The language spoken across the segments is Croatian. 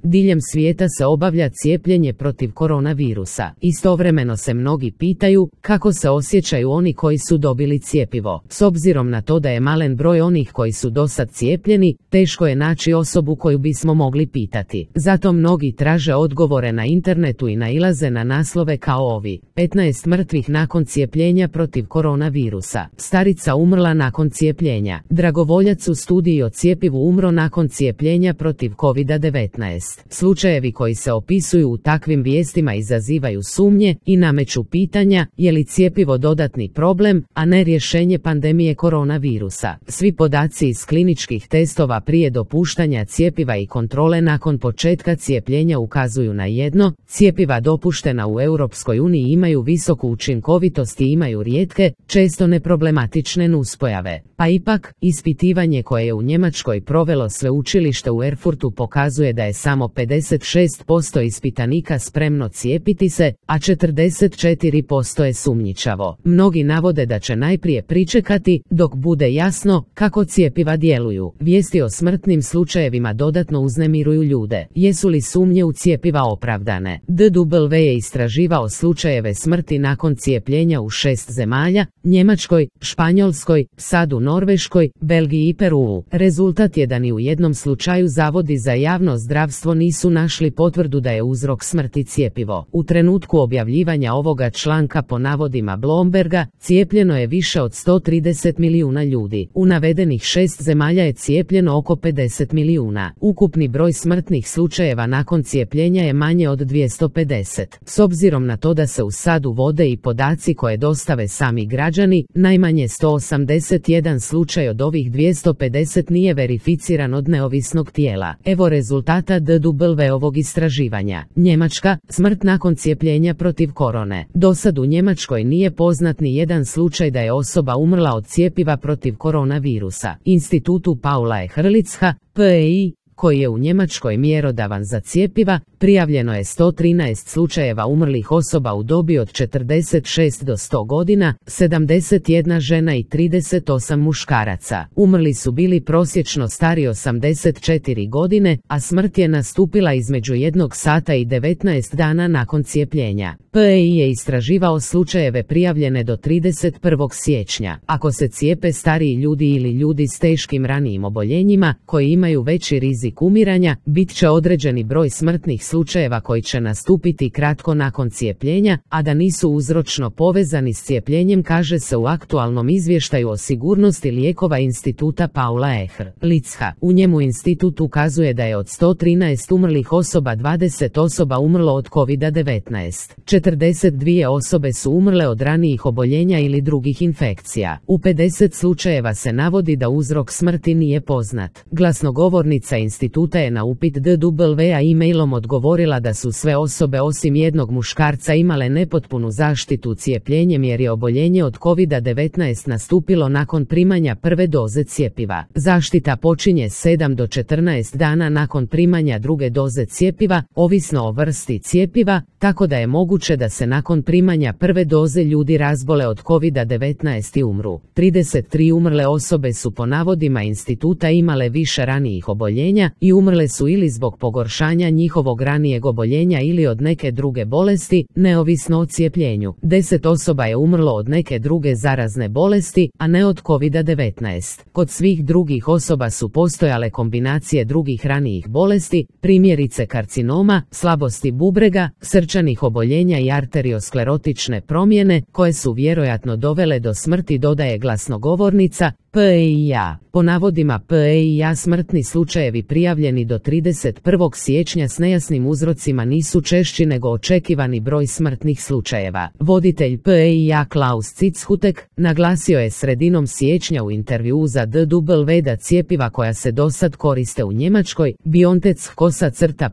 diljem svijeta se obavlja cijepljenje protiv koronavirusa. Istovremeno se mnogi pitaju kako se osjećaju oni koji su dobili cjepivo. S obzirom na to da je malen broj onih koji su dosad cijepljeni, teško je naći osobu koju bismo mogli pitati. Zato mnogi traže odgovore na internetu i nailaze na naslove kao ovi: 15 mrtvih nakon cijepljenja protiv koronavirusa. Starica umrla nakon cijepljenja. Dragovoljac u studiji o cjepivu umro nakon cijepljenja protiv COVID-19. Slučajevi koji se opisuju u takvim vijestima izazivaju sumnje i nameću pitanja je li cjepivo dodatni problem, a ne rješenje pandemije koronavirusa. Svi podaci iz kliničkih testova prije dopuštanja cjepiva i kontrole nakon početka cijepljenja ukazuju na jedno: cjepiva dopuštena u Europskoj uniji imaju visoku učinkovitost i imaju rijetke, često neproblematične nuspojave. Pa ipak, ispitivanje koje je u Njemačkoj provelo sveučilište u Erfurtu pokazuje da je samo 56% ispitanika spremno cijepiti se, a 44% je sumnjičavo. Mnogi navode da će najprije pričekati dok bude jasno kako cjepiva djeluju. Vijesti o smrtnim slučajevima dodatno uznemiruju ljude. Jesu li sumnje u cjepiva opravdane? DW je istraživao slučajeve smrti nakon cijepljenja u 6 zemalja: Njemačkoj, Španjolskoj, sad u Norveškoj, Belgiji i Peruu. Rezultat je da ni u jednom slučaju zavodi za javno zdravstvo nisu našli potvrdu da je uzrok smrti cjepivo. U trenutku objavljivanja ovoga članka po navodima Bloomberga, cijepljeno je više od 130 milijuna ljudi. U navedenih 6 zemalja je cijepljeno oko 50 milijuna. Ukupni broj smrtnih slučajeva nakon cijepljenja je manje od 250. S obzirom na to da se u SAD uvode i podaci koje dostave sami građani, najmanje 181 slučaj od ovih 250 nije verificiran od neovisnog tijela. Evo rezultata DW-ovog istraživanja. Njemačka, smrt nakon cijepljenja protiv korone. Dosad u Njemačkoj nije poznat ni jedan slučaj da je osoba umrla od cjepiva protiv koronavirusa. Institutu Paula Ehrlicha, PEI, koji je u Njemačkoj mjerodavan za cjepiva, prijavljeno je 113 slučajeva umrlih osoba u dobi od 46 do 100 godina, 71 žena i 38 muškaraca. Umrli su bili prosječno stari 84 godine, a smrt je nastupila između 1 sata i 19 dana nakon cijepljenja. PEI je istraživao slučajeve prijavljene do 31. siječnja. Ako se cijepe stariji ljudi ili ljudi s teškim ranijim oboljenjima, koji imaju veći rizik umiranja, bit će određeni broj smrtnih slučajeva koji će nastupiti kratko nakon cijepljenja, a da nisu uzročno povezani s cijepljenjem, kaže se u aktualnom izvještaju o sigurnosti lijekova Instituta Paula Ehrlicha. U njemu institut ukazuje da je od 113 umrlih osoba 20 osoba umrlo od COVID-19. 42 osobe su umrle od ranijih oboljenja ili drugih infekcija. U 50 slučajeva se navodi da uzrok smrti nije poznat. Glasnogovornica instituta je na upit DW-a e-mailom odgovorila da su sve osobe osim jednog muškarca imale nepotpunu zaštitu cijepljenjem jer je oboljenje od COVID-19 nastupilo nakon primanja prve doze cjepiva. Zaštita počinje 7 do 14 dana nakon primanja druge doze cjepiva, ovisno o vrsti cjepiva, tako da je moguće da se nakon primanja prve doze ljudi razbole od COVID-19 i umru. 33 umrle osobe su po navodima instituta imale više ranijih oboljenja i umrle su ili zbog pogoršanja njihovog ranijeg oboljenja ili od neke druge bolesti, neovisno o cijepljenju. 10 osoba je umrlo od neke druge zarazne bolesti, a ne od COVID-19. Kod svih drugih osoba su postojale kombinacije drugih ranijih bolesti, primjerice karcinoma, slabosti bubrega, srčanih oboljenja i arteriosklerotične promjene, koje su vjerojatno dovele do smrti, dodaje glasnogovornica. PEI-a. Po navodima PEI-a smrtni slučajevi prijavljeni do 31. siječnja s nejasnim uzrocima nisu češći nego očekivani broj smrtnih slučajeva. Voditelj PEI-a Klaus Zitzhutek naglasio je sredinom siječnja u intervjuu za DW da cjepiva koja se dosad koriste u Njemačkoj, BioNTech,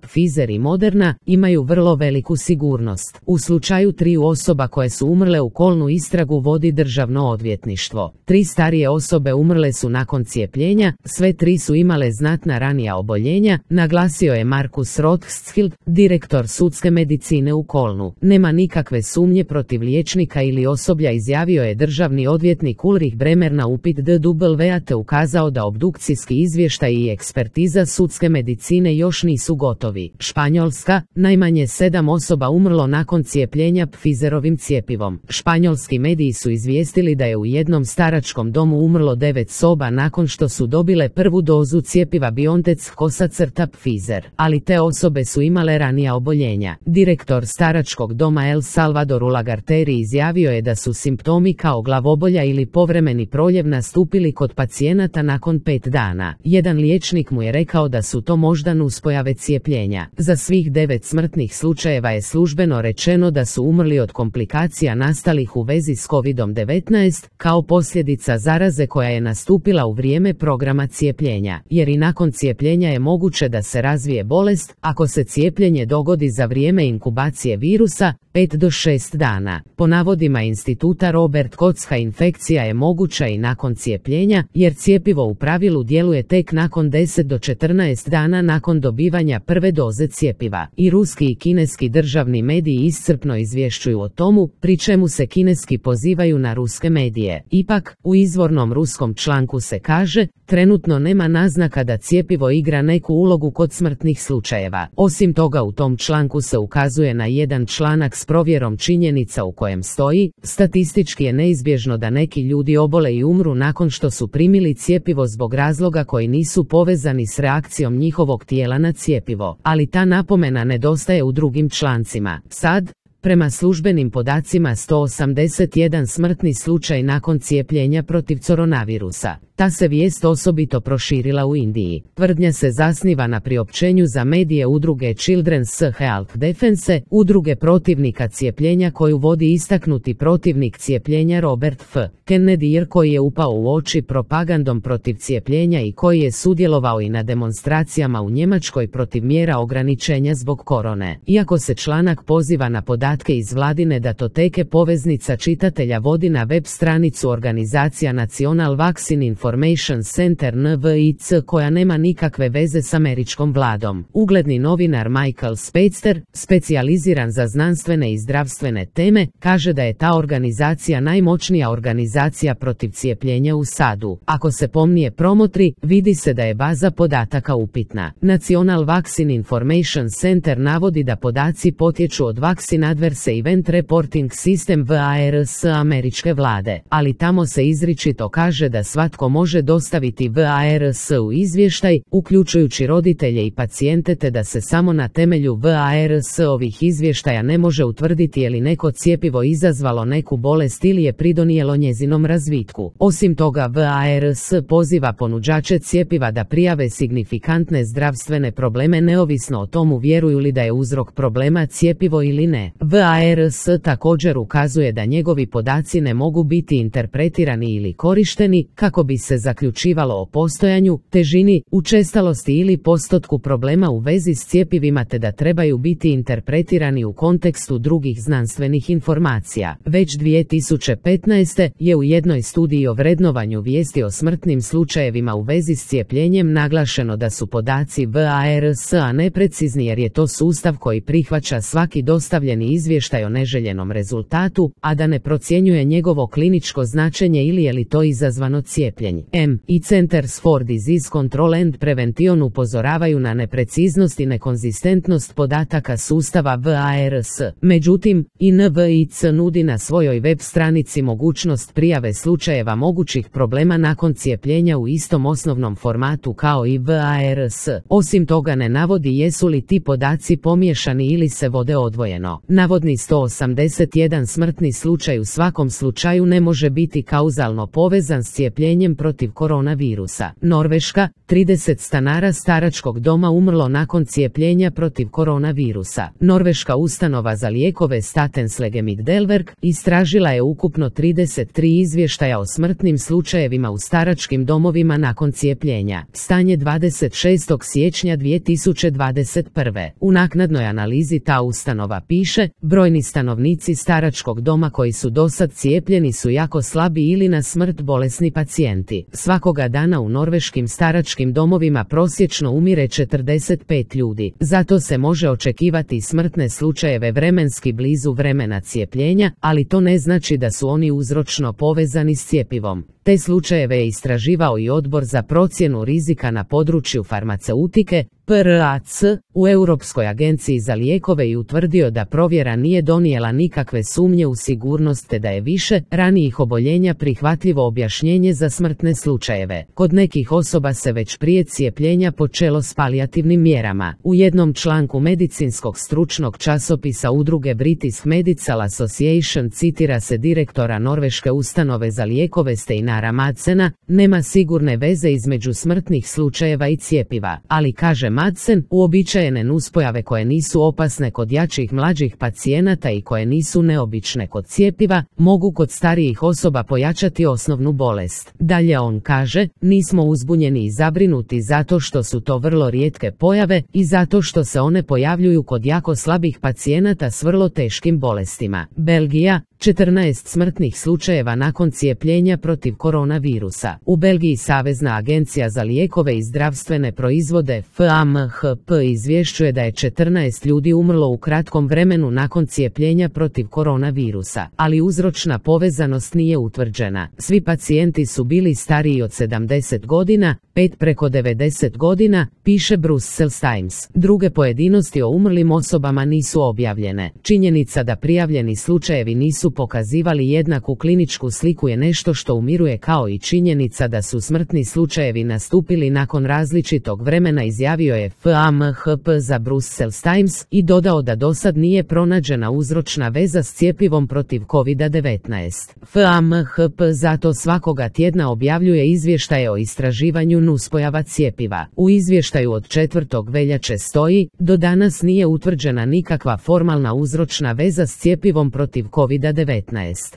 Pfizer i Moderna, imaju vrlo veliku sigurnost. U slučaju 3 osoba koje su umrle u Kolnu istragu vodi državno odvjetništvo. 3 starije osobe umrle su nakon cijepljenja, sve 3 su imale znatna ranija ranija oboljenja, naglasio je Markus Rothschild, direktor sudske medicine u Kolnu. Nema nikakve sumnje protiv liječnika ili osoblja, izjavio je državni odvjetnik Ulrich Bremer na upit DW, te ukazao da obdukcijski izvještaj i ekspertiza sudske medicine još nisu gotovi. Španjolska, najmanje 7 osoba umrlo nakon cijepljenja Pfizerovim cjepivom. Španjolski mediji su izvijestili da je u jednom staračkom domu umrlo 9 soba nakon što su dobile prvu dozu cjepiva BioNTech/Pfizer, ali te osobe su imale ranija oboljenja. Direktor staračkog doma El Salvador Ulagarteri izjavio je da su simptomi kao glavobolja ili povremeni proljev nastupili kod pacijenata nakon 5 dana. Jedan liječnik mu je rekao da su to možda nuspojave cijepljenja. Za svih 9 smrtnih slučajeva je službeno rečeno da su umrli od komplikacija nastalih u vezi s COVID-19, kao posljedica zaraze koja je nastupila u vrijeme programa cijepljenja, jer i nakon cijepljenja je moguće da se razvije bolest, ako se cijepljenje dogodi za vrijeme inkubacije virusa, 5 do 6 dana. Po navodima instituta Robert Kochka, infekcija je moguća i nakon cijepljenja, jer cjepivo u pravilu djeluje tek nakon 10 do 14 dana nakon dobivanja prve doze cjepiva. I ruski i kineski državni mediji iscrpno izvješćuju o tomu, pri čemu se kineski pozivaju na ruske medije. Ipak, u izvornom ruskom članku se kaže, trenutno nema naznaka da cjepivo igra neku ulogu kod smrtnih slučajeva. Osim toga, u tom članku se ukazuje na jedan članak s provjerom činjenica u kojem stoji, statistički je neizbježno da neki ljudi obole i umru nakon što su primili cjepivo zbog razloga koji nisu povezani s reakcijom njihovog tijela na cjepivo, ali ta napomena nedostaje u drugim člancima. Sad, prema službenim podacima 181 smrtni slučaj nakon cijepljenja protiv koronavirusa. Ta se vijest osobito proširila u Indiji. Tvrdnja se zasniva na priopćenju za medije udruge Children's Health Defense, udruge protivnika cijepljenja koju vodi istaknuti protivnik cijepljenja Robert F. Kennedy, koji je upao u oči propagandom protiv cijepljenja i koji je sudjelovao i na demonstracijama u Njemačkoj protiv mjera ograničenja zbog korone. Iako se članak poziva na podatke iz vladine datoteke, poveznica čitatelja vodi na web stranicu organizacija National Vaccine Information Center NVIC, koja nema nikakve veze s američkom vladom. Ugledni novinar Michael Speitzer, specijaliziran za znanstvene i zdravstvene teme, kaže da je ta organizacija najmoćnija organizacija protiv cijepljenja u SAD-u. Ako se pomnije promotri, vidi se da je baza podataka upitna. National Vaccine Information Center navodi da podaci potječu od Vaccine Adverse Event Reporting System VARS američke vlade, ali tamo se izričito kaže da svatko može dostaviti VARS u izvještaj, uključujući roditelje i pacijente, te da se samo na temelju VARS ovih izvještaja ne može utvrditi je li neko cjepivo izazvalo neku bolest ili je pridonijelo njezinom razvitku. Osim toga, VARS poziva ponuđače cjepiva da prijave signifikantne zdravstvene probleme neovisno o tomu vjeruju li da je uzrok problema cjepivo ili ne. VARS također ukazuje da njegovi podaci ne mogu biti interpretirani ili korišteni kako bi se zaključivalo o postojanju, težini, učestalosti ili postotku problema u vezi s cjepivima, te da trebaju biti interpretirani u kontekstu drugih znanstvenih informacija. Već 2015. je u jednoj studiji o vrednovanju vijesti o smrtnim slučajevima u vezi s cijepljenjem naglašeno da su podaci VARS-a neprecizni jer je to sustav koji prihvaća svaki dostavljeni izvještaj o neželjenom rezultatu, a da ne procjenjuje njegovo kliničko značenje ili je li to izazvano cijepljenjem. I Centers for Disease Control and Prevention upozoravaju na nepreciznost i nekonzistentnost podataka sustava VARS. Međutim, i NVIC nudi na svojoj web stranici mogućnost prijave slučajeva mogućih problema nakon cijepljenja u istom osnovnom formatu kao i VARS. Osim toga ne navodi jesu li ti podaci pomiješani ili se vode odvojeno. Navodni 181 smrtni slučaj u svakom slučaju ne može biti kauzalno povezan s cijepljenjem protiv koronavirusa. Norveška, 30 stanara staračkog doma umrlo nakon cijepljenja protiv koronavirusa. Norveška ustanova za lijekove Statens Legemiddelverk istražila je ukupno 33 izvještaja o smrtnim slučajevima u staračkim domovima nakon cijepljenja. Stanje 26. siječnja 2021. U naknadnoj analizi ta ustanova piše, brojni stanovnici staračkog doma koji su dosad cijepljeni su jako slabi ili na smrt bolesni pacijenti. pacijenti. Svakoga dana u norveškim staračkim domovima prosječno umire 45 ljudi. Zato se može očekivati smrtne slučajeve vremenski blizu vremena cijepljenja, ali to ne znači da su oni uzročno povezani s cjepivom. Te slučajeve je istraživao i Odbor za procjenu rizika na području farmaceutike, PRAC, u Europskoj agenciji za lijekove i utvrdio da provjera nije donijela nikakve sumnje u sigurnost te da je više ranijih oboljenja prihvatljivo objašnjenje za smrtne slučajeve. Kod nekih osoba se već prije cijepljenja počelo s palijativnim mjerama. U jednom članku medicinskog stručnog časopisa udruge British Medical Association citira se direktora norveške ustanove za lijekove Steinara Madsena: nema sigurne veze između smrtnih slučajeva i cjepiva, ali kaže Madsen, uobičajene nuspojave koje nisu opasne kod jačih mlađih pacijenata i koje nisu neobične kod cjepiva, mogu kod starijih osoba pojačati osnovnu bolest. Dalje on kaže, nismo uzbunjeni i zabrinuti zato što su to vrlo rijetke pojave i zato što se one pojavljuju kod jako slabih pacijenata s vrlo teškim bolestima. Belgija, 14 smrtnih slučajeva nakon cijepljenja protiv koronavirusa. U Belgiji Savezna agencija za lijekove i zdravstvene proizvode FAMHP izvješćuje da je 14 ljudi umrlo u kratkom vremenu nakon cijepljenja protiv koronavirusa, ali uzročna povezanost nije utvrđena. Svi pacijenti su bili stariji od 70 godina, 5 preko 90 godina, piše Brussels Times. Druge pojedinosti o umrlim osobama nisu objavljene. Činjenica da prijavljeni slučajevi nisu pokazivali jednaku kliničku sliku je nešto što umiruje, kao i činjenica da su smrtni slučajevi nastupili nakon različitog vremena, izjavio je FAMHP za Brussels Times i dodao da dosad nije pronađena uzročna veza s cjepivom protiv COVID-19. FAMHP zato svakoga tjedna objavljuje izvještaje o istraživanju nuspojava cjepiva. U izvještaju od 4. veljače stoji, do danas nije utvrđena nikakva formalna uzročna veza s cjepivom protiv COVID-19.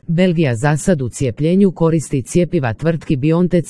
Belgija zasad u cijepljenju koristi cjepiva tvrtki BioNTech,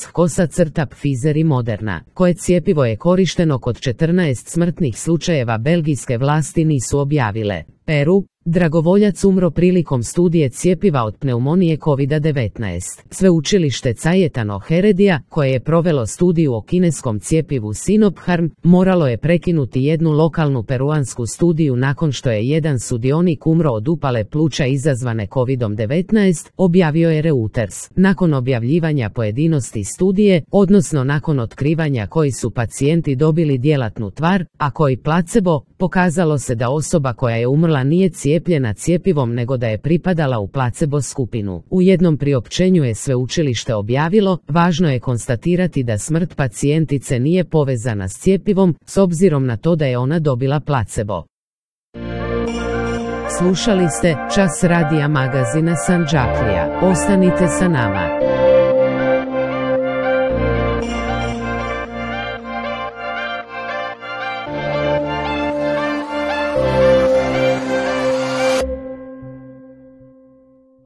Pfizer i Moderna, koje cjepivo je korišteno kod 14 smrtnih slučajeva belgijske vlasti nisu objavile. Peru, dragovoljac umro prilikom studije cjepiva od pneumonije COVID-19. Sveučilište Cayetano Heredia, koje je provelo studiju o kineskom cjepivu Sinopharm, moralo je prekinuti jednu lokalnu peruansku studiju nakon što je jedan sudionik umro od upale pluća izazvane COVID-19, objavio je Reuters. Nakon objavljivanja pojedinosti studije, odnosno nakon otkrivanja koji su pacijenti dobili djelatnu tvar, a koji placebo, pokazalo se da osoba koja je umrla nije cijepljena cjepivom nego da je pripadala u placebo skupinu. U jednom priopćenju je sveučilište objavilo, važno je konstatirati da smrt pacijentice nije povezana s cjepivom, s obzirom na to da je ona dobila placebo. Slušali ste Čas radija magazina Sanđaklija. Ostanite sa nama.